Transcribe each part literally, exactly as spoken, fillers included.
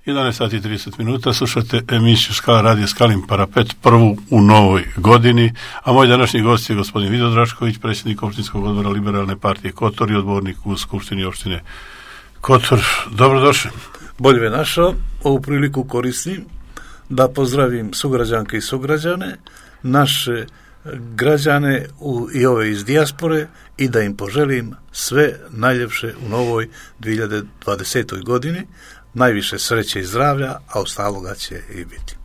jedanaest sati i trideset minuta, slušate emisiju Skala radio Skalin parapet, prvu u novoj godini, a moj današnji gost je gospodin Vido Drašković, predsjednik opštinskog odbora Liberalne partije Kotor i odbornik u Skupštini opštine Kotor. Dobrodošli. Bolje me našao. Ovu priliku koristim da pozdravim sugrađanke i sugrađane, naše građane u, i ove iz dijaspore i da im poželim sve najljepše u novoj dvije hiljade dvadesetoj godini, najviše sreće i zdravlja, a ostaloga će i biti.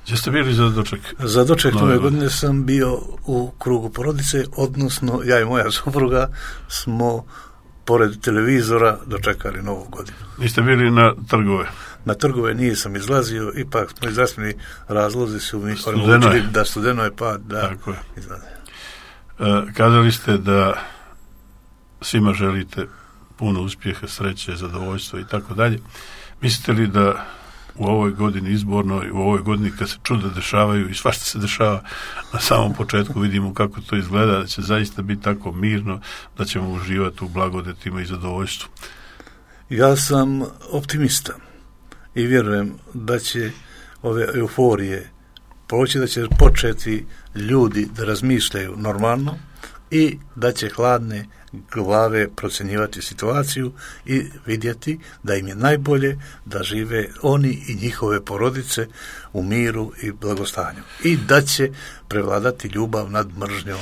Gdje ste bili za doček? Za doček nove godine sam bio u krugu porodice, odnosno ja i moja supruga smo pored televizora dočekali novu godinu. Niste bili na trgove? Na trgove nisam izlazio, ipak smo zdravstveni razlozi su mi omogućili da studeno je pa da Tako je. izlaze. E, kazali ste da svima želite puno uspjeha, sreće, zadovoljstva i tako dalje. Mislite li da u ovoj godini izbornoj, u ovoj godini kad se čuda dešavaju i svašta se dešava na samom početku, vidimo kako to izgleda, da će zaista biti tako mirno, da ćemo uživati u blagodetima i zadovoljstvu? Ja sam optimista i vjerujem da će ove euforije proći, da će početi ljudi da razmišljaju normalno i da će hladne glave procjenjivati situaciju i vidjeti da im je najbolje da žive oni i njihove porodice u miru i blagostanju i da će prevladati ljubav nad mržnjom.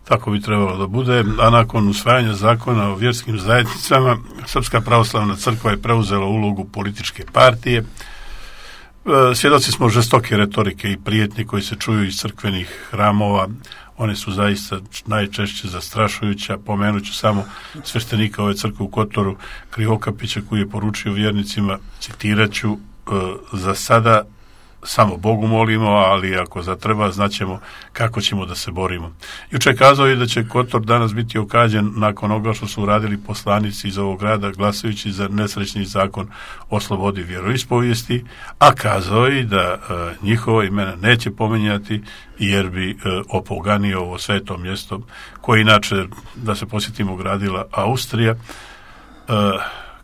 Tako bi trebalo da bude, a nakon usvajanja zakona o vjerskim zajednicama, Srpska pravoslavna crkva je preuzela ulogu političke partije. Svjedoci smo žestoke retorike i prijetnje koji se čuju iz crkvenih hramova. One su zaista najčešće zastrašujuća. Pomenut ću samo sveštenika ove crkve u Kotoru, Krivokapića, koji je poručio vjernicima, citirat ću, za sada samo Bogu molimo, ali ako zatreba, znaćemo kako ćemo da se borimo. Juče kazao je da će Kotor danas biti okađen nakon onoga što su uradili poslanici iz ovog grada glasajući za nesrećni zakon o slobodi vjeroispovijesti, a kazao je da e, njihova imena neće pominjati jer bi e, opoganio ovo sveto mjesto koje inače, da se posjetimo, gradila Austrija. E,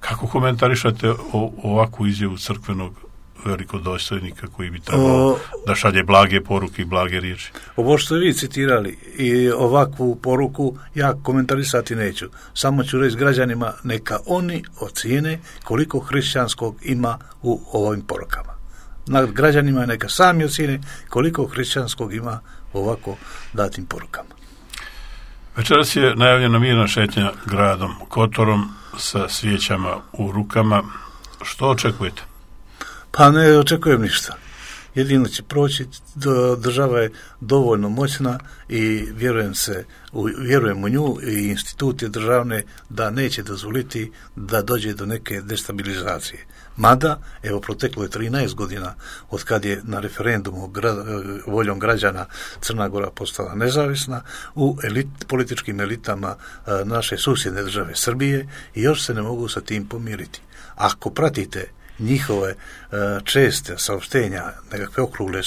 kako komentarišate o, ovakvu izjavu crkvenog velikodostojnika koji bi trebao o, da šalje blage poruke i blage riječi? Ovo što vi citirali i ovakvu poruku ja komentarisati neću. Samo ću reći građanima neka oni ocijene koliko hrišćanskog ima u ovim porukama. Na građanima neka sami ocijene koliko hrišćanskog ima u ovako datim porukama. Večeras je najavljena mirna šetnja gradom Kotorom sa svijećama u rukama. Što očekujete? Pa ne očekujem ništa. Jedino će proći, država je dovoljno moćna i vjerujem se, vjerujem u nju i institucije državne da neće dozvoliti da dođe do neke destabilizacije. Mada, evo, proteklo je trinaest godina od kad je na referendumu gra, voljom građana Crna Gora postala nezavisna u elit, političkim elitama naše susjedne države Srbije i još se ne mogu sa tim pomiriti. Ako pratite njihove uh, česte saopštenja, nekakve okrugle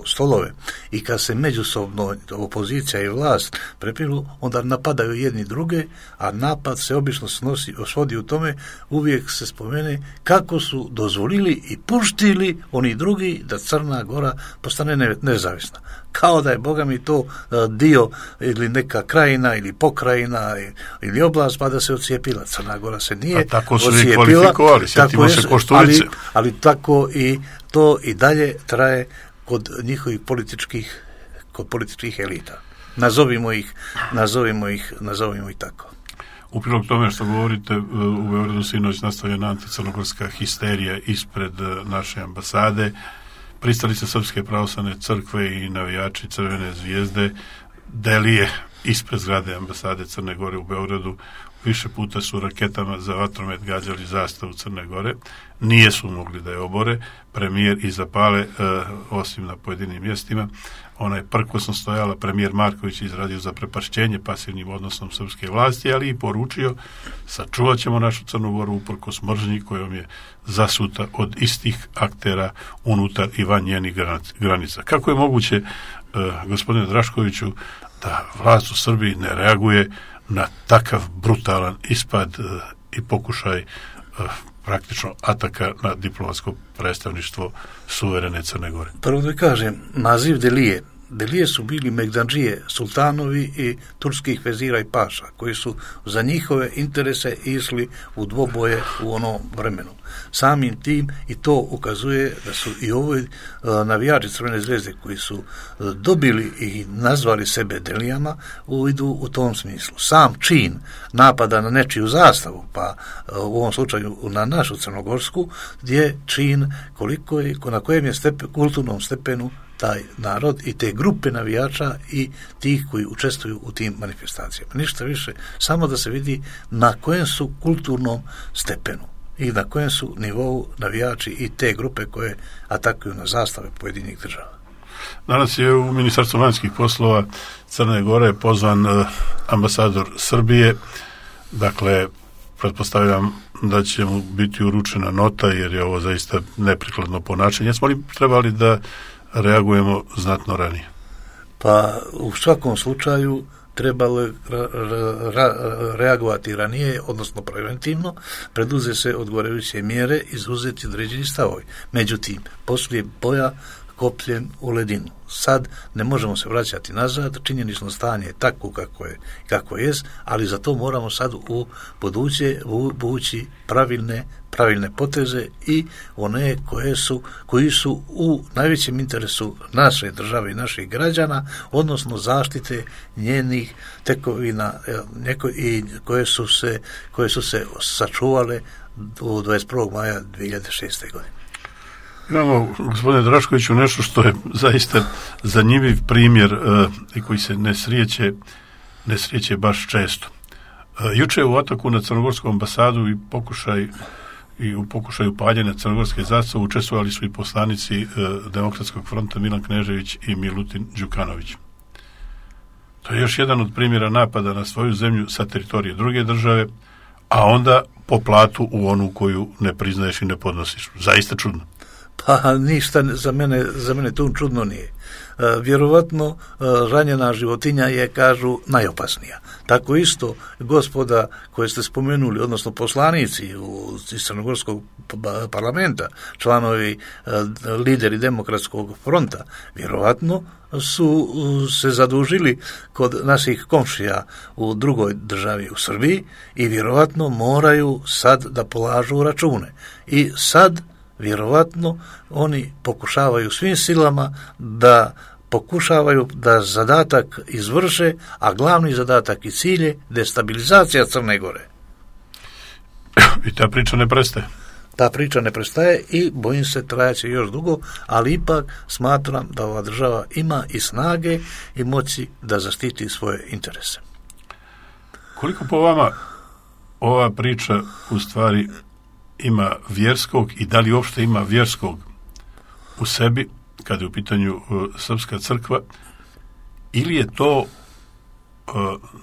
stolove i kad se međusobno opozicija i vlast prepiru, onda napadaju jedni druge, a napad se obično snosi, osvodi u tome, uvijek se spomene kako su dozvolili i puštili oni drugi da Crna Gora postane ne, nezavisna. Kao da je, Boga mi, to uh, dio ili neka krajina ili pokrajina ili oblast, pa da se ocijepila. Crna Gora se nije ocijepila. Tako su i kvalifikovali, sjetimo se Košturice. Ali, ali tako i to i dalje traje kod njihovih političkih, kod političkih elita. Nazovimo ih, nazovimo ih, nazovimo ih tako. U prilog tome što govorite, u Beogradu sinoć nastavljena anticrnogorska histerija ispred naše ambasade. Pristalice Srpske pravoslavne crkve i navijači Crvene zvijezde delije ispred zgrade ambasade Crne Gore u Beogradu. Više puta su raketama za vatromet gađali zastavu Crne Gore. Nije su mogli da je obore. Premijer i zapale, e, osim na pojedinim mjestima. Ona je prkosno stojala. Premijer Marković je izradio za prepašćenje pasivnim odnosom srpske vlasti, ali i poručio: sačuvat ćemo našu Crnu Goru uprkos mržnji kojom je zasuta od istih aktera unutar i van njenih granica. Kako je moguće, e, gospodine Draškoviću, da vlast u Srbiji ne reaguje na takav brutalan ispad uh, i pokušaj uh, praktično ataka na diplomatsko predstavništvo suverene Crne Gore? Prvo da kažem, naziv Delije. Delije su bili Megdandžije, sultanovi i turskih vezira i paša, koji su za njihove interese išli u dvoboje u onom vremenu. Samim tim i to ukazuje da su i ovi navijači Crvene zvezde koji su dobili i nazvali sebe Delijama idu u tom smislu. Sam čin napada na nečiju zastavu, pa u ovom slučaju na našu crnogorsku, je čin koliko je, na kojem je stepen, kulturnom stepenu taj narod i te grupe navijača i tih koji učestvuju u tim manifestacijama. Ništa više, samo da se vidi na kojem su kulturnom stepenu i na kojem su nivou navijači i te grupe koje atakuju na zastave pojedinih država. Danas je u Ministarstvu vanjskih poslova Crne Gore pozvan ambasador Srbije, dakle pretpostavljam da će mu biti uručena nota jer je ovo zaista neprikladno ponašanje. Jesmo li trebali da reagujemo znatno ranije? Pa u svakom slučaju trebalo je ra- ra- reagovati ranije, odnosno preventivno, preduze se odgovarajuće mjere, izuzeti određeni stavovi. Međutim, poslije boja kopljen u ledinu. Sad ne možemo se vraćati nazad, činjenično stanje je takvo kako je, kako je, ali za to moramo sad u buduće vući pravilne, pravilne poteze i one koje su, koji su u najvećem interesu naše države i naših građana, odnosno zaštite njenih tekovina neko, i koje su se, koje su se sačuvale u dvadeset prvog maja dvije hiljade šeste. godine. Imamo, gospodine Draškoviću, nešto što je zaista zanimljiv primjer uh, i koji se ne srijeće, ne srijeće baš često. Uh, juče u ataku na crnogorsku ambasadu i pokušaj i u pokušaju paljenja crnogorske zastave učestvovali su i poslanici uh, Demokratskog fronta Milan Knežević i Milutin Đukanović. To je još jedan od primjera napada na svoju zemlju sa teritorije druge države, a onda po platu u onu koju ne priznaješ i ne podnosiš. Zaista čudno. Pa ništa za mene, za mene to čudno nije. E, vjerovatno e, ranjena životinja je, kažu, najopasnija. Tako isto gospoda koje ste spomenuli, odnosno poslanici u, iz Crnogorskog parlamenta, članovi e, lideri Demokratskog fronta, vjerovatno su se zadužili kod naših komšija u drugoj državi u Srbiji i vjerovatno moraju sad da polažu račune. I sad vjerovatno oni pokušavaju svim silama da pokušavaju da zadatak izvrše, a glavni zadatak i cilj je destabilizacija Crne Gore. I ta priča ne prestaje. Ta priča ne prestaje i bojim se trajaće još dugo, ali ipak smatram da ova država ima i snage i moći da zaštiti svoje interese. Koliko po vama ova priča u stvari ima vjerskog i da li uopšte ima vjerskog u sebi kada je u pitanju uh, srpska crkva, ili je to uh,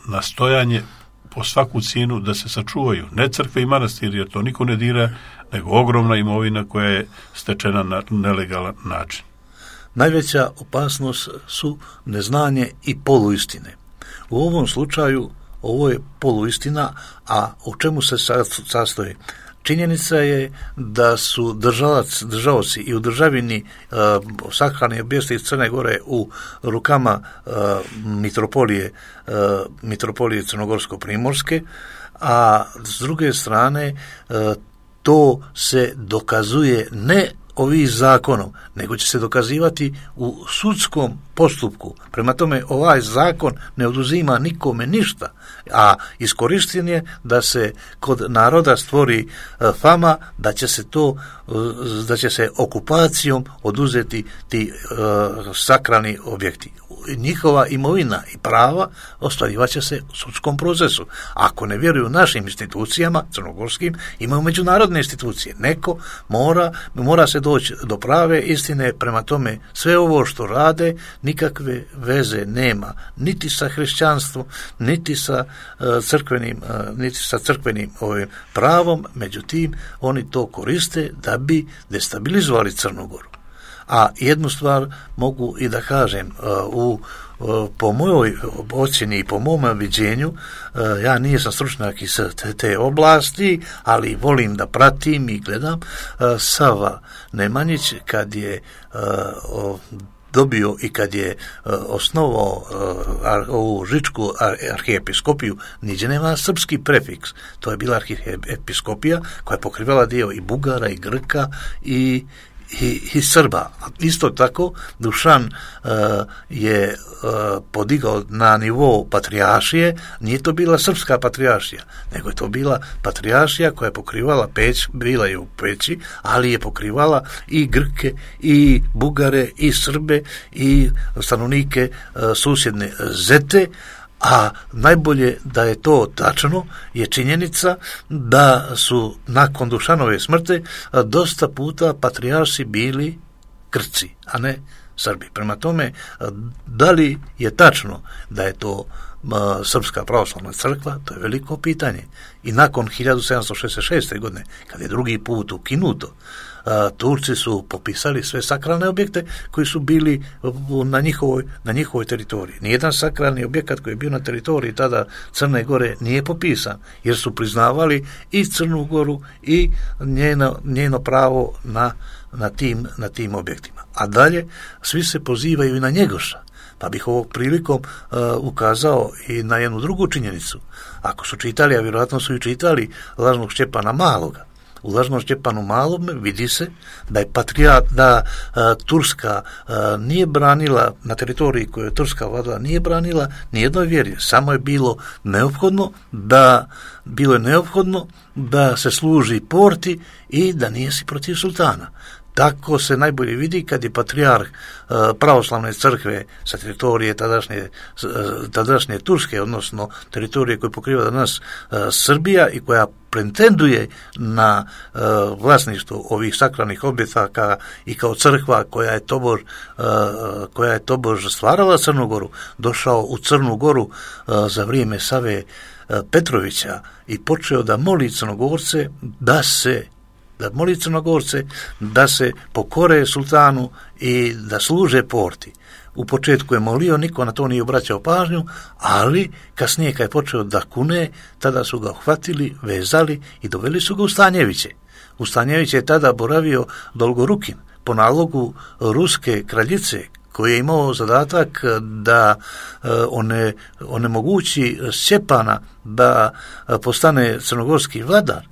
nastojanje po svaku cijenu da se sačuvaju ne crkve i manastiri, jer to niko ne dira, nego ogromna imovina koja je stečena na nelegalan način? Najveća opasnost su neznanje i poluistine. U ovom slučaju ovo je poluistina, a u čemu se sastoji? Činjenica je da su državac, državci i u državini uh, sakralni objekti iz Crne Gore u rukama uh, mitropolije, uh, mitropolije Crnogorsko-Primorske, a s druge strane uh, to se dokazuje ne ovim zakonom, nego će se dokazivati u sudskom postupku. Prema tome, ovaj zakon ne oduzima nikome ništa, a iskorišten je da se kod naroda stvori fama da će se to, da će se okupacijom oduzeti ti uh, sakralni objekti. Njihova imovina i prava ostvarivat će se u sudskom procesu. Ako ne vjeruju našim institucijama, crnogorskim, imaju međunarodne institucije. Neko mora, mora se doći do prave istine, prema tome sve ovo što rade nikakve veze nema, niti sa hrišćanstvom, niti sa uh, crkvenim, uh, niti sa crkvenim ovim pravom, međutim, oni to koriste da bi destabilizovali Crnu Goru. A jednu stvar mogu i da kažem, u po mojoj ocjeni i po mom viđenju, ja nisam stručnjak iz te, te oblasti, ali volim da pratim i gledam. Sava Nemanjić, kad je dobio i kad je osnovao ovu Žičku arhiepiskopiju, niđe nema srpski prefiks. To je bila arhiepiskopija koja je pokrivala dio i Bugara i Grka i I, i Srba. Isto tako Dušan uh, je uh, podigao na nivo patrijaršije, nije to bila srpska patrijaršija, nego je to bila patrijaršija koja je pokrivala Peć, bila je u Peći, ali je pokrivala i Grke, i Bugare, i Srbe, i stanovnike uh, susjedne Zete. A najbolje da je to tačno je činjenica da su nakon Dušanove smrti dosta puta patrijarsi bili Grci, a ne Srbi. Prema tome, da li je tačno da je to Srpska pravoslavna crkva, to je veliko pitanje. I nakon hiljadu sedamsto šezdeset šeste. godine, kad je drugi put ukinuto, Turci su popisali sve sakralne objekte koji su bili na njihovoj, na njihovoj teritoriji. Nijedan sakralni objekat koji je bio na teritoriji tada Crne Gore nije popisan, jer su priznavali i Crnu Goru i njeno, njeno pravo na, na, tim, na tim objektima. A dalje, svi se pozivaju i na Njegoša. Pa bih ovog prilikom uh, ukazao i na jednu drugu činjenicu. Ako su čitali, a vjerojatno su i čitali Lažnog Šćepana Maloga, u Lažnom Šćepanu Malom vidi se da je patrijat, da uh, Turska uh, nije branila na teritoriji koju je Turska vladala, nije branila nijednoj vjeri, samo je bilo neophodno da bilo je neophodno da se služi porti i da nije si protiv sultana. Tako se najbolje vidi kad je patrijarh uh, pravoslavne crkve sa teritorije tadašnje, uh, tadašnje Turske, odnosno teritorije koje pokriva danas uh, Srbija i koja pretenduje na uh, vlasništvo ovih sakralnih objekata i kao crkva koja je tobož, uh, koja je tobož stvarala Crnu Goru, došao u Crnu Goru uh, za vrijeme Save uh, Petrovića i počeo da moli Crnogorce da se da moli Crnogorce da se pokore sultanu i da služe porti. U početku je molio, niko na to nije obraćao pažnju, ali kasnije kad je počeo da kune, tada su ga uhvatili, vezali i doveli su ga u Stanjeviće. U Stanjeviće je tada boravio Dolgorukin po nalogu ruske kraljice, koji je imao zadatak da one, onemogući Šćepana da postane crnogorski vladar.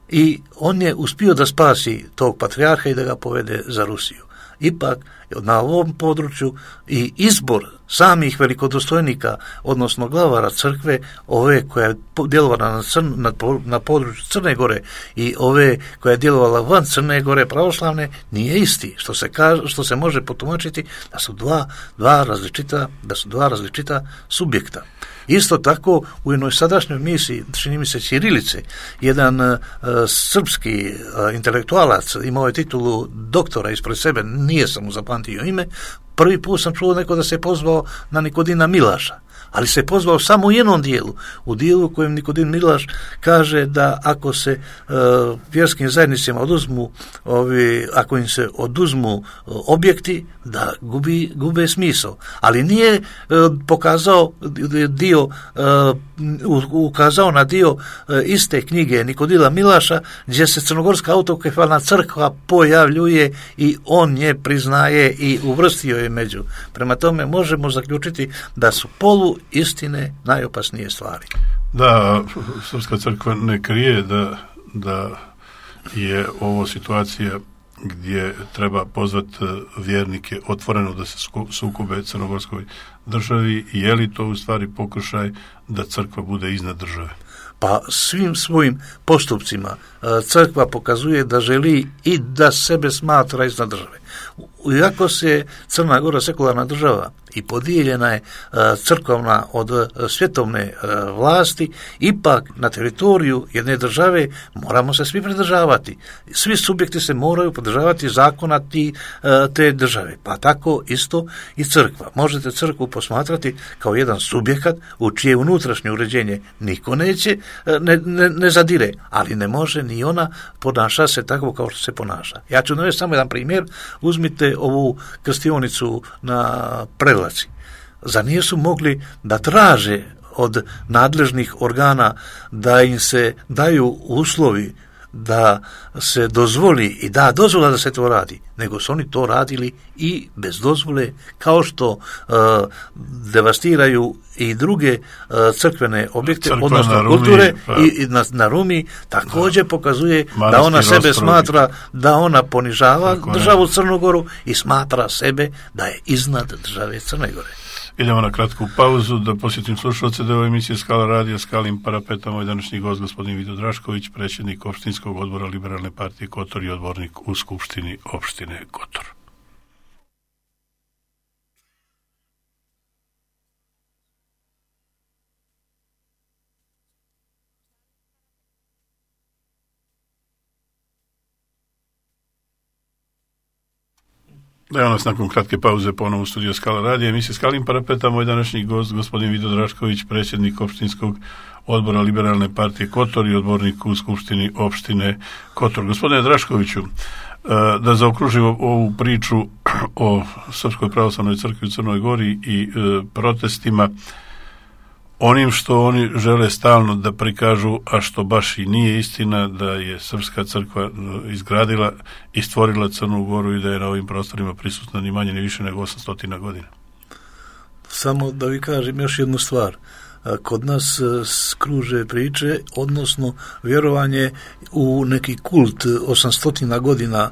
I on je uspio da spasi tog patrijarha i da ga povede za Rusiju. Ipak, na ovom području i izbor samih velikodostojnika, odnosno glavara crkve, ove koja je djelovala na, crn, na, na području Crne Gore i ove koja je djelovala van Crne Gore pravoslavne, nije isti, što se, kaže, što se može potumačiti da su dva, dva različita, da su dva različita subjekta. Isto tako, u jednoj sadašnjoj misiji, čini mi se Ćirilice, jedan uh, srpski uh, intelektualac imao je titulu doktora ispred sebe, nije sam mu zapamtio ime, prvi put sam čuo neko da se pozvao na Nikodina Milaša, ali se pozvao samo u jednom dijelu, u dijelu u kojem Nikodin Milaš kaže da ako se uh, vjerskim zajednicama oduzmu, ovi, ako im se oduzmu uh, objekti, da gubi, gube smisao. Ali nije uh, pokazao dio, uh, ukazao na dio uh, iste knjige Nikodila Milaša, gdje se crnogorska autokefalna crkva pojavljuje i on je priznaje i uvrstio je među. Prema tome možemo zaključiti da su polu istine najopasnije stvari. Da, Srpska crkva ne krije da, da je ovo situacija gdje treba pozvati vjernike otvoreno da se sukobe crnogorskoj državi. Je li to u stvari pokušaj da crkva bude iznad države? Pa svim svojim postupcima crkva pokazuje da želi i da sebe smatra iznad države. Iako se Crna Gora sekularna država i podijeljena je crkvena od svjetovne vlasti, ipak na teritoriju jedne države moramo se svi pridržavati. Svi subjekti se moraju pridržavati zakona ti, te države. Pa tako isto i crkva. Možete crkvu posmatrati kao jedan subjekat u čije unutrašnje uređenje niko neće, ne, ne, ne zadire, ali ne može ni ona ponaša se tako kao što se ponaša. Ja ću navesti samo jedan primjer. U Uzmite ovu krstionicu na Prevlaci. Zar nisu mogli da traže od nadležnih organa da im se daju uslovi da se dozvoli i da dozvola da se to radi, nego su oni to radili i bez dozvole, kao što uh, devastiraju i druge uh, crkvene objekte, Crkva odnosno Rumi, kulture pa, i, i na, na Rumi također da, pokazuje da ona sebe rasprovi. smatra da ona ponižava Tako državu ne. Crnu Goru i smatra sebe da je iznad države Crne Gore. Idemo na kratku pauzu da posjetim slušalce da je ovo emisija Skala radija, Skalim parapeta, moj današnji gost gospodin Vido Drašković, predsjednik opštinskog odbora Liberalne partije Kotor i odbornik u Skupštini opštine Kotor. Da je nas nakon kratke pauze ponovo u studiju Skala radija, emisija Skalim parapeta, moj današnji gost gospodin Vido Drašković, predsjednik opštinskog odbora Liberalne partije Kotor i odbornik u Skupštini opštine Kotor. Gospodine Draškoviću, da zaokružimo ovu priču o Srpskoj pravoslavnoj crkvi u Crnoj Gori i protestima, onim što oni žele stalno da prikažu, a što baš i nije istina, da je Srpska crkva izgradila i stvorila Crnu Goru i da je na ovim prostorima prisutna ni manje ni više nego osamsto godina. Samo da vi kažem još jednu stvar. Kod nas skruže priče, odnosno vjerovanje u neki kult osamsto godina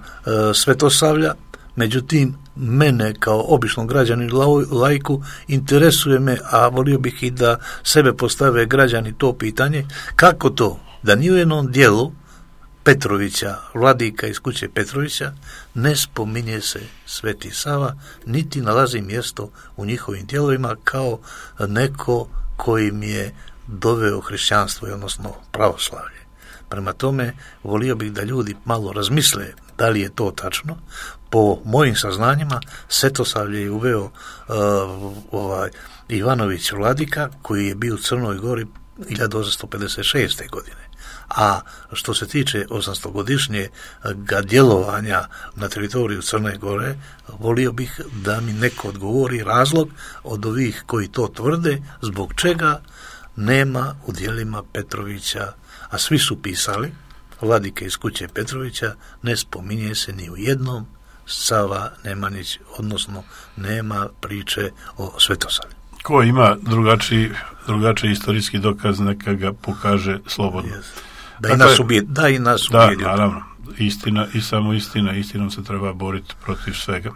Svetosavlja. Međutim, mene kao običnog građanina laiku interesuje me, a volio bih i da sebe postave građani to pitanje, kako to da ni u jednom dijelu Petrovića, vladika iz kuće Petrovića, ne spominje se Sveti Sava, niti nalazi mjesto u njihovim dijelovima kao neko kojim je doveo hrišćanstvo, odnosno pravoslavlje. Prema tome, volio bih da ljudi malo razmisle da li je to tačno. Po mojim saznanjima, Svetosavlje je uveo uh, ovaj, Ivanović vladika, koji je bio u Crnoj Gori hiljadu osamsto pedeset šeste. godine. A što se tiče osamstogodišnjeg djelovanja na teritoriju Crne Gore, volio bih da mi neko odgovori razlog od ovih koji to tvrde, zbog čega nema u djelima Petrovića, a svi su pisali, vladike iz kuće Petrovića, ne spominje se ni u jednom Sava Nemanjić, odnosno nema priče o Svetosavlju. Ko ima drugačiji, drugačiji istorijski dokaz, neka ga pokaže slobodno. Yes. Da, dakle, i nas ubije, da i nas ubije. Da, naravno. Istina i samo istina. Istinom se treba boriti protiv svega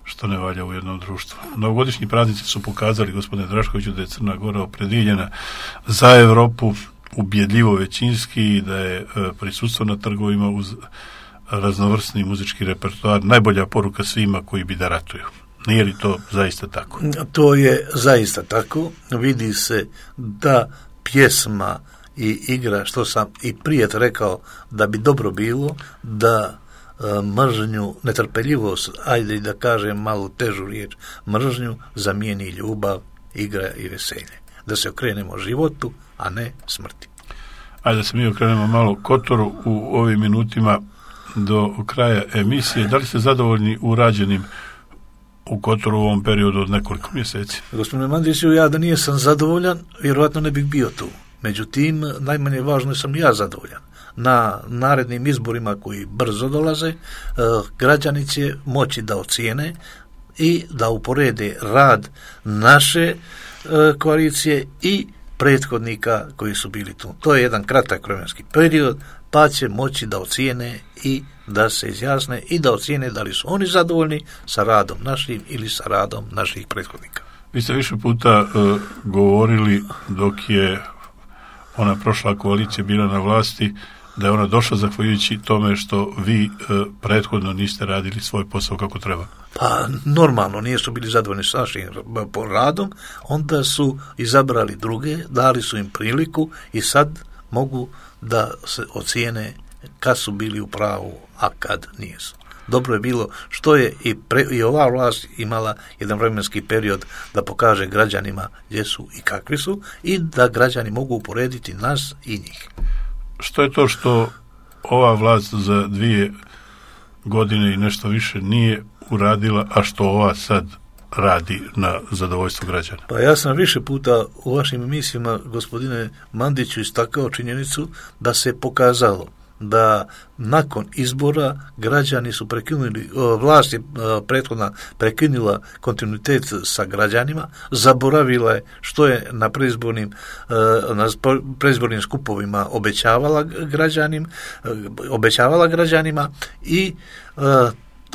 što ne valja u jednom društvu. Novogodišnji praznici su pokazali, gospodine Draškoviću, da je Crna Gora opredjeljena za Evropu, ubjedljivo većinski, i da je prisustvo na trgovima uz raznovrsni muzički repertoar najbolja poruka svima koji bi da ratuju. Nije li to zaista tako? To je zaista tako. Vidi se da pjesma i igra, što sam i prije rekao, da bi dobro bilo da e, mržnju, netrpeljivost, ajde i da kažem malo težu riječ, mržnju zamijeni ljubav, igra i veselje. Da se okrenemo životu, a ne smrti. Ajde da se mi okrenemo malo Kotoru u ovim minutima do kraja emisije. Da li ste zadovoljni urađenim u Kotoru u ovom periodu od nekoliko mjeseci? Gospodine Mandiću, ja da nije sam zadovoljan, vjerojatno ne bih bio tu. Međutim, najmanje važno sam ja zadovoljan. Na narednim izborima koji brzo dolaze, građani će moći da ocijene i da uporede rad naše koalicije i prethodnika koji su bili tu. To je jedan kratak vremenski period, pa će moći da ocijene i da se izjasne i da ocijene da li su oni zadovoljni sa radom našim ili sa radom naših prethodnika. Vi ste više puta uh, govorili dok je ona prošla koalicija bila na vlasti, da je ona došla zahvaljujući tome što vi e, prethodno niste radili svoj posao kako treba. Pa normalno, nisu bili zadovoljni s našim radom, onda su izabrali druge, dali su im priliku i sad mogu da se ocijene kad su bili u pravu, a kad nisu. Dobro je bilo što je i, pre, i ova vlast imala jedan vremenski period da pokaže građanima gdje su i kakvi su i da građani mogu uporediti nas i njih. Što je to što ova vlast za dvije godine i nešto više nije uradila, a što ova sad radi na zadovoljstvo građana? Pa ja sam više puta u vašim emisijama, gospodine Mandiću, istakao činjenicu da se pokazalo da nakon izbora građani su prekinuli, vlast je prethodna prekinula kontinuitet sa građanima, zaboravila je što je na predizbornim, na predizbornim skupovima obećavala građanim, obećavala građanima i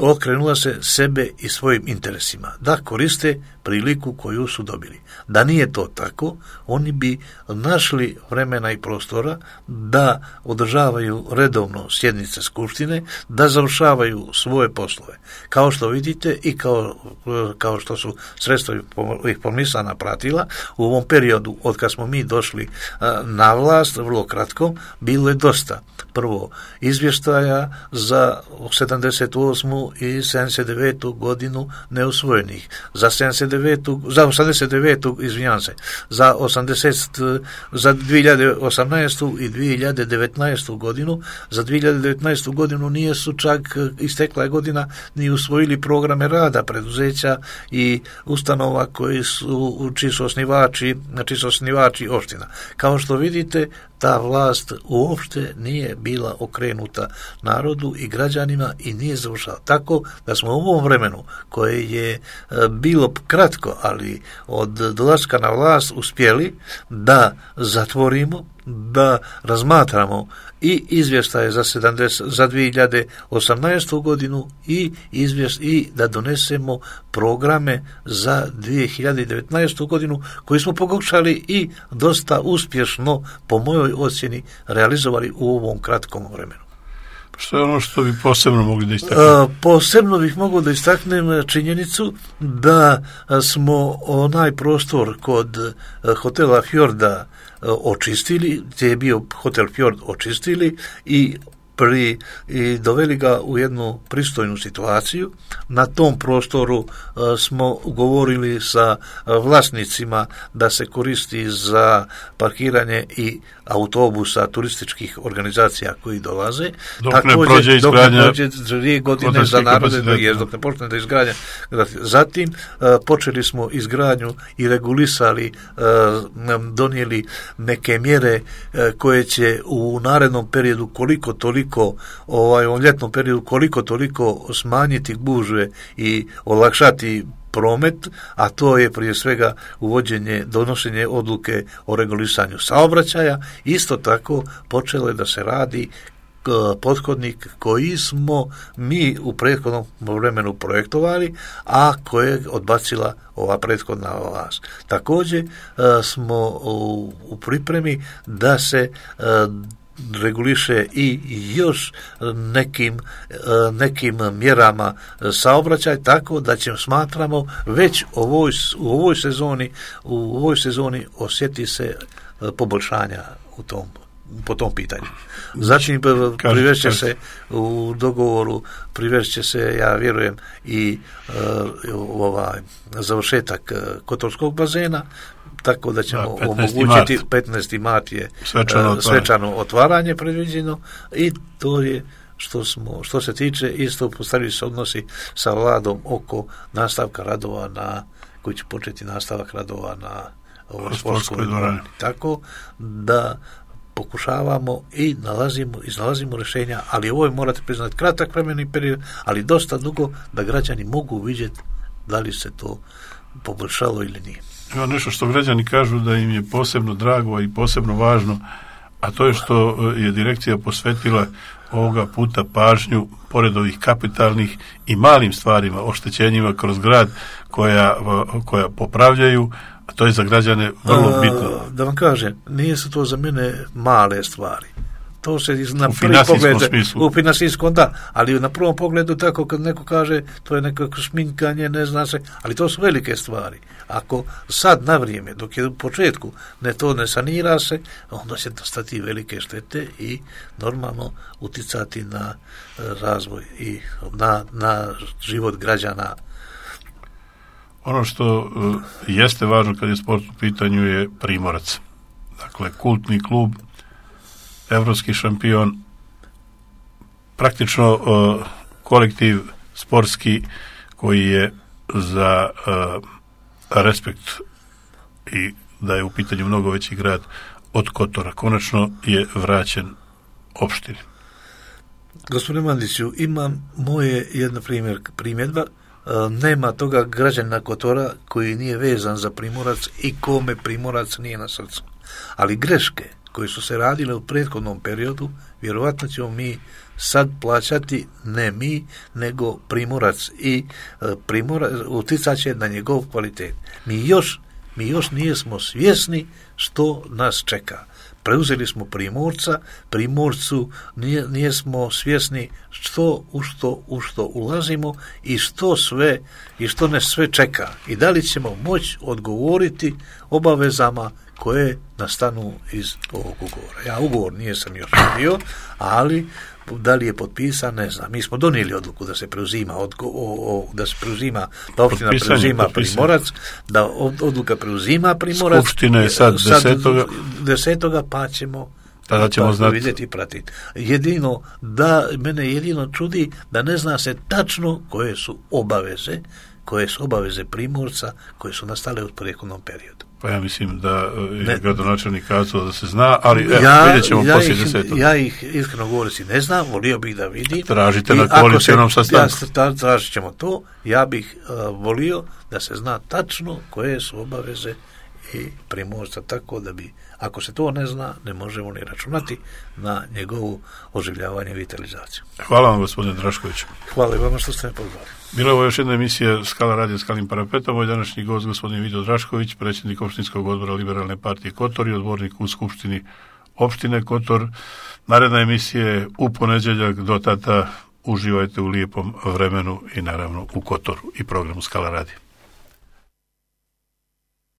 okrenula se sebe i svojim interesima, da koriste priliku koju su dobili. Da nije to tako, oni bi našli vremena i prostora da održavaju redovno sjednice skupštine, da završavaju svoje poslove. Kao što vidite i kao, kao što su sredstva ih pomisana pratila, u ovom periodu od kad smo mi došli na vlast, vrlo kratko, bilo je dosta. Prvo, izvještaja za sedamdeset osmu i sedamdeset devetu godinu neusvojenih, za sedamdeset devetu za osamdeset devetu izvinjavam se, za osamdeset za dvije hiljade osamnaestu i dvije hiljade devetnaestu godinu, za dvije hiljade devetnaestu godinu nije su čak istekla je godina ni usvojili programe rada preduzeća i ustanova koji su čiji su osnivači, čiji su osnivači opština. Kao što vidite, ta vlast uopšte nije bila okrenuta narodu i građanima i nije završala. Tako da smo u ovom vremenu, koje je bilo kratko, ali od dolaska na vlast uspjeli da zatvorimo, da razmatramo i izvještaje za sedamdeset za dvije hiljade osamnaestu godinu i izvješt i da donesemo programe za dvije hiljade devetnaestu godinu koji smo pokušali i dosta uspješno, po mojoj ocjeni, realizovali u ovom kratkom vremenu. Što je ono što bi posebno mogli da istaknemo? Posebno bih mogao da istaknem činjenicu da smo onaj prostor kod hotela Fjorda očistili, gdje je bio hotel Fjord očistili i pri, i doveli ga u jednu pristojnu situaciju. Na tom prostoru uh, smo govorili sa uh, vlasnicima da se koristi za parkiranje i autobusa turističkih organizacija koji dolaze. Dok Također, ne prođe izgradnja, dok ne prođe dvije godine za narode, dok, je, dok ne počne da izgradnja. Zatim uh, počeli smo izgradnju i regulisali, uh, donijeli neke mjere uh, koje će u narednom periodu koliko toliko, ovaj, u ljetnom periodu koliko toliko smanjiti gužve i olakšati promet, a to je prije svega uvođenje, donošenje odluke o regulisanju saobraćaja. Isto tako počelo je da se radi pothodnik koji smo mi u prethodnom vremenu projektovali, a koje je odbacila ova prethodna vlast. Također smo u, u pripremi da se reguliše i još nekim, nekim mjerama saobraćaj, tako da ćemo, smatramo, već ovoj, u ovoj sezoni u ovoj sezoni osjeti se poboljšanja u tom, po tom pitanju. Zatim privešće se u dogovoru, privešće se, ja vjerujem, i uh, ovaj završetak Kotorskog bazena, tako da ćemo da, omogućiti petnaesti mart je svečano, uh, svečano otvaranje predviđeno i to je što smo, što se tiče isto postavili se odnosi sa vladom oko nastavka radova na, koji će početi nastavak radova na ovoj sportskoj dvorani. Tako da pokušavamo i nalazimo, iznalazimo rješenja, ali ovo je, morate priznati, kratak vremeni period, ali dosta dugo da građani mogu vidjeti da li se to poboljšalo ili nije. Ima nešto što građani kažu da im je posebno drago i posebno važno, a to je što je direkcija posvetila ovoga puta pažnju, pored ovih kapitalnih i malim stvarima, oštećenjima kroz grad koja, koja popravljaju, a to je za građane vrlo bitno. A, da vam kažem, nije su to za mene male stvari. To se na prvi pogled u finansijskom, da, ali na prvom pogledu tako kad neko kaže to je nekako šminkanje, ne zna se, ali to su velike stvari. Ako sad na vrijeme, dok je u početku ne to ne sanira se, onda će nastati velike štete i normalno uticati na razvoj i na, na život građana. Ono što uh, jeste važno kad je sport u pitanju je Primorac. Dakle, kultni klub, evropski šampion, praktično uh, kolektiv sportski koji je za uh, respekt i da je u pitanju mnogo veći grad od Kotora. Konačno je vraćen opštini. Gospodine Mandiću, imam moje jedna primjer, primjedba. Nema toga građanina Kotora koji nije vezan za Primorac i kome Primorac nije na srcu. Ali greške koje su se radile u prethodnom periodu, vjerovatno ćemo mi sad plaćati, ne mi, nego Primorac i Primorac uticat će na njegov kvalitet. Mi još, mi još nijesmo svjesni što nas čeka. Preuzeli smo Primorca, Primorcu nije, nijesmo svjesni što u što u što ulazimo i što sve i što nas sve čeka i da li ćemo moći odgovoriti obavezama koje nastanu iz ovog ugovora. Ja ugovor nijesam još vidio, ali da li je potpisan, ne znam. Mi smo donijeli odluku da se preuzima odgo, o, o, da se preuzima, da opština potpisan preuzima je, Primorac, da odluka preuzima Primorac. Skupština je sad desetoga. Desetoga pa ćemo tada ćemo znati. Vidjeti i pratiti. Jedino, da, mene jedino čudi da ne zna se tačno koje su obaveze, koje su obaveze Primorca, koje su nastale u prethodnom periodu. Pa ja mislim da je gradonačelnik kazao da se zna, ali evo, ja, vidjet ćemo ja poslije ih, desetog. Ja ih iskreno govoreći ne znam, volio bih da vidim. Tražite na koalicionom sastanku. Ja tražit ćemo to, ja bih uh, volio da se zna tačno koje su obaveze i Primorca, tako da bi, ako se to ne zna, ne možemo ni računati na njegovu oživljavanje i vitalizaciju. Hvala vam, gospodine Drašković. Hvala i vama što ste me pozvali. Bila je ovo još jedna emisija Skala radio Skalim parapetom. Moj današnji gost, gospodin Vido Drašković, predsjednik opštinskog odbora Liberalne partije Kotor i odbornik u Skupštini opštine Kotor. Naredna emisija je u ponedjeljak, do tada uživajte u lijepom vremenu i naravno u Kotoru i programu Skala radio.